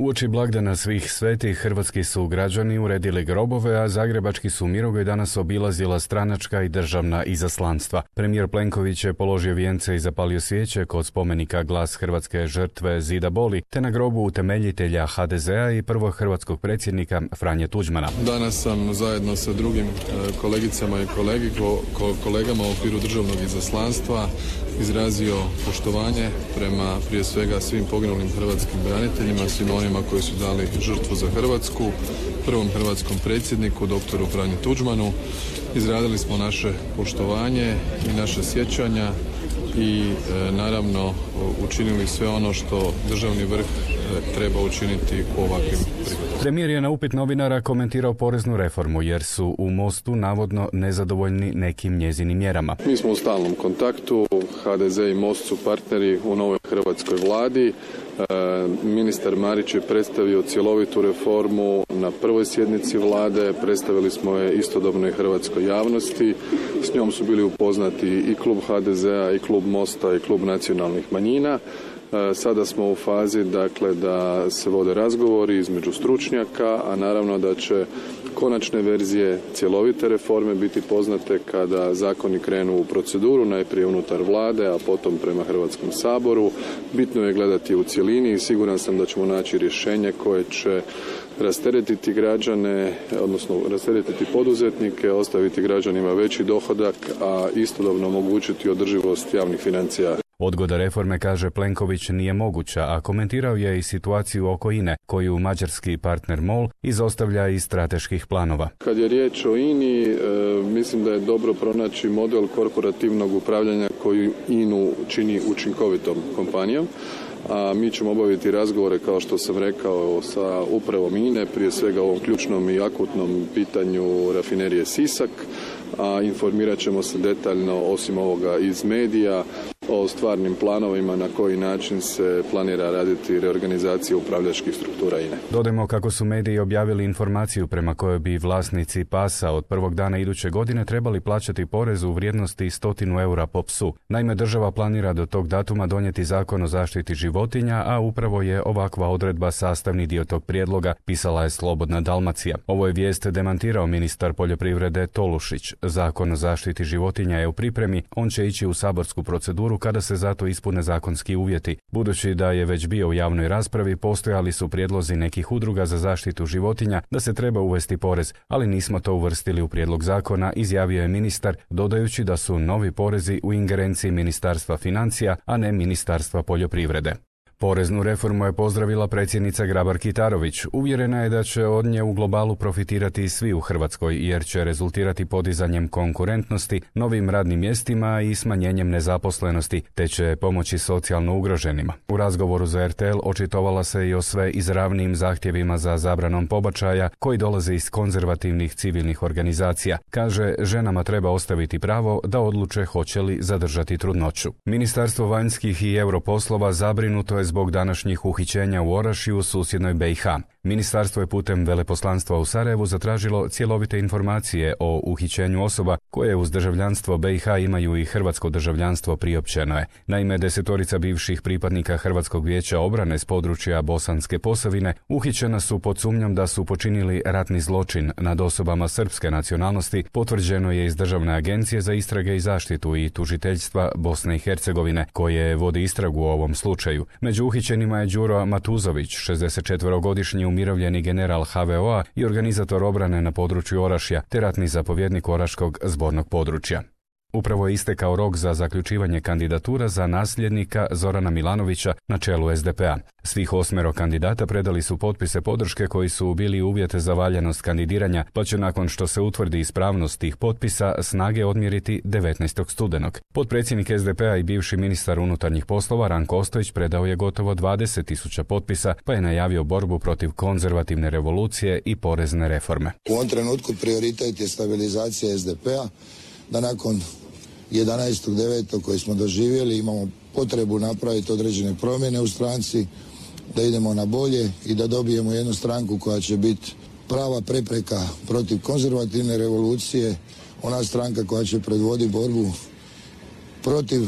Uoči blagdana svih svetih hrvatski su građani uredili grobove, a zagrebački su Mirogoj danas obilazila stranačka i državna izaslanstva. Premijer Plenković je položio vijence i zapalio svijeće kod spomenika Glas hrvatske žrtve Zida Boli, te na grobu utemeljitelja HDZ-a i prvog hrvatskog predsjednika Franje Tuđmana. Danas sam zajedno sa drugim kolegicama i kolegama u okviru državnog izaslanstva izrazio poštovanje prema prije svega svim poginulim hrvatskim braniteljima, svim onima koji su dali žrtvu za Hrvatsku, prvom hrvatskom predsjedniku, doktoru Franji Tuđmanu. Izradili smo naše poštovanje i naše sjećanja i naravno učinili sve ono što državni vrh treba učiniti u ovakvim prigodama. Premijer je na upit novinara komentirao poreznu reformu jer su u Mostu navodno nezadovoljni nekim njezinim mjerama. Mi smo u stalnom kontaktu, HDZ i Most su partneri u novoj hrvatskoj vladi. Ministar Marić je predstavio cjelovitu reformu na prvoj sjednici vlade, predstavili smo je istodobno i hrvatskoj javnosti. S njom su bili upoznati i klub HDZ-a i klub Mosta i klub nacionalnih manjina. Sada smo u fazi da se vode razgovori između stručnjaka, a naravno da će konačne verzije cjelovite reforme biti poznate kada zakoni krenu u proceduru, najprije unutar vlade, a potom prema Hrvatskom saboru. Bitno je gledati u cjelini i siguran sam da ćemo naći rješenje koje će rasteretiti građane, odnosno rasteretiti poduzetnike, ostaviti građanima veći dohodak, a istodobno omogućiti održivost javnih financija. Odgoda reforme, kaže Plenković, nije moguća, a komentirao je i situaciju oko INE, koju mađarski partner MOL izostavlja iz strateških planova. Kad je riječ o INI, mislim da je dobro pronaći model korporativnog upravljanja koji INU čini učinkovitom kompanijom. A mi ćemo obaviti razgovore, kao što sam rekao, sa upravom INE, prije svega u ovom ključnom i akutnom pitanju rafinerije Sisak, a informirat ćemo se detaljno, osim ovoga, iz medija o stvarnim planovima na koji način se planira raditi reorganizacija upravljačkih struktura INE. Dodajmo kako su mediji objavili informaciju prema kojoj bi vlasnici pasa od prvog dana iduće godine trebali plaćati porez u vrijednosti 100 eura po psu. Naime, država planira do tog datuma donijeti zakon o zaštiti životinja, a upravo je ovakva odredba sastavni dio tog prijedloga, pisala je Slobodna Dalmacija. Ovo je vijest demantirao ministar poljoprivrede Tolušić. Zakon o zaštiti životinja je u pripremi, on će ići u saborsku proceduru kada se zato ispune zakonski uvjeti. Budući da je već bio u javnoj raspravi, postojali su prijedlozi nekih udruga za zaštitu životinja da se treba uvesti porez, ali nismo to uvrstili u prijedlog zakona, izjavio je ministar, dodajući da su novi porezi u ingerenciji Ministarstva financija, a ne Ministarstva poljoprivrede. Poreznu reformu je pozdravila predsjednica Grabar-Kitarović. Uvjerena je da će od nje u globalu profitirati svi u Hrvatskoj, jer će rezultirati podizanjem konkurentnosti, novim radnim mjestima i smanjenjem nezaposlenosti, te će pomoći socijalno ugroženima. U razgovoru za RTL očitovala se i o sve izravnijim zahtjevima za zabranom pobačaja koji dolaze iz konzervativnih civilnih organizacija. Kaže, ženama treba ostaviti pravo da odluče hoće li zadržati trudnoću. Ministarstvo vanjskih i europoslova zabrinuto je zbog današnjih uhićenja u Orašju, susjednoj BiH. Ministarstvo je putem veleposlanstva u Sarajevu zatražilo cjelovite informacije o uhićenju osoba koje uz državljanstvo BiH imaju i hrvatsko državljanstvo, priopćeno je. Naime, 10 bivših pripadnika Hrvatskog vijeća obrane s područja Bosanske Posavine uhićena su pod sumnjom da su počinili ratni zločin nad osobama srpske nacionalnosti, potvrđeno je iz Državne agencije za istrage i zaštitu i tužiteljstva Bosne i Hercegovine, koje vodi istragu u ovom slučaju. Među uhićenima je Đuro Matuzović, 64-godišnji umirovljeni general HVO-a i organizator obrane na području Orašja, te ratni zapovjednik Oraškog zbornog područja. Upravo je istekao rok za zaključivanje kandidatura za nasljednika Zorana Milanovića na čelu SDP-a. Svih 8 kandidata predali su potpise podrške koji su bili uvjet za valjanost kandidiranja, pa će nakon što se utvrdi ispravnost tih potpisa snage odmjeriti 19. studenog. Potpredsjednik SDP-a i bivši ministar unutarnjih poslova Ranko Ostojić predao je gotovo 20.000 potpisa, pa je najavio borbu protiv konzervativne revolucije i porezne reforme. U ovom trenutku prioritet je stabilizacija SDP-a, da nakon 11.9. koji smo doživjeli imamo potrebu napraviti određene promjene u stranci, da idemo na bolje i da dobijemo jednu stranku koja će biti prava prepreka protiv konzervativne revolucije, ona stranka koja će predvoditi borbu protiv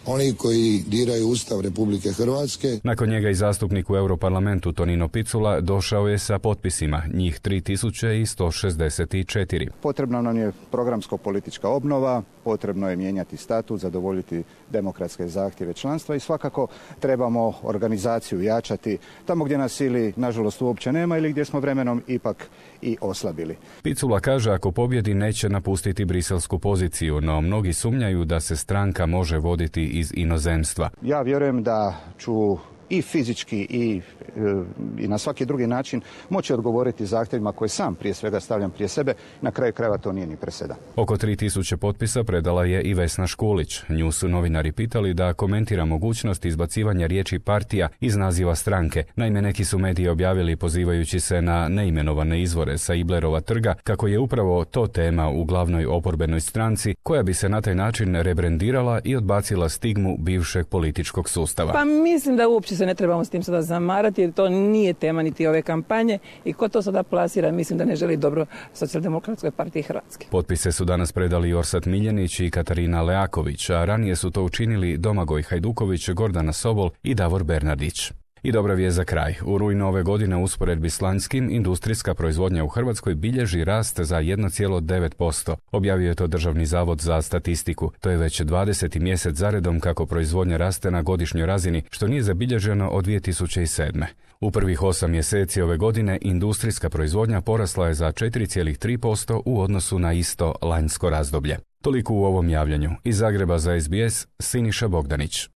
oni koji diraju Ustav Republike Hrvatske. Nakon njega i zastupnik u Europarlamentu Tonino Picula došao je sa potpisima, njih 3164. Potrebna nam je programsko-politička obnova, potrebno je mijenjati statut, zadovoljiti demokratske zahtjeve članstva i svakako trebamo organizaciju jačati tamo gdje nas ili nažalost uopće nema ili gdje smo vremenom ipak i oslabili. Picula kaže ako pobjedi neće napustiti briselsku poziciju, no mnogi sumnjaju da se stranka može voditi iz inozemstva. Ja vjerujem da ću i fizički i na svaki drugi način moći odgovoriti zahtjevima koje sam prije svega stavljam prije sebe. Na kraju krajeva to nije ni presedan. Oko 3000 potpisa predala je i Vesna Škulić. Nju su novinari pitali da komentira mogućnost izbacivanja riječi partija iz naziva stranke. Naime, neki su mediji objavili pozivajući se na neimenovane izvore sa Iblerova trga kako je upravo to tema u glavnoj oporbenoj stranci koja bi se na taj način rebrendirala i odbacila stigmu bivšeg političkog sustava. Pa mislim da uopće se ne trebamo s tim sada zamarati jer to nije tema niti ove kampanje i ko to sada plasira mislim da ne želi dobro Socijaldemokratskoj partiji Hrvatske. Potpise su danas predali Orsat Miljenić i Katarina Leaković, a ranije su to učinili Domagoj Hajduković, Gordana Sobol i Davor Bernardić. I dobra vijest za kraj. U rujnu ove godine u usporedbi s lanjskim industrijska proizvodnja u Hrvatskoj bilježi rast za 1,9%. Objavio je to Državni zavod za statistiku. To je već 20. mjesec zaredom kako proizvodnja raste na godišnjoj razini, što nije zabilježeno od 2007. U prvih 8 mjeseci ove godine industrijska proizvodnja porasla je za 4,3% u odnosu na isto lanjsko razdoblje. Toliko u ovom javljanju. Iz Zagreba za SBS, Siniša Bogdanić.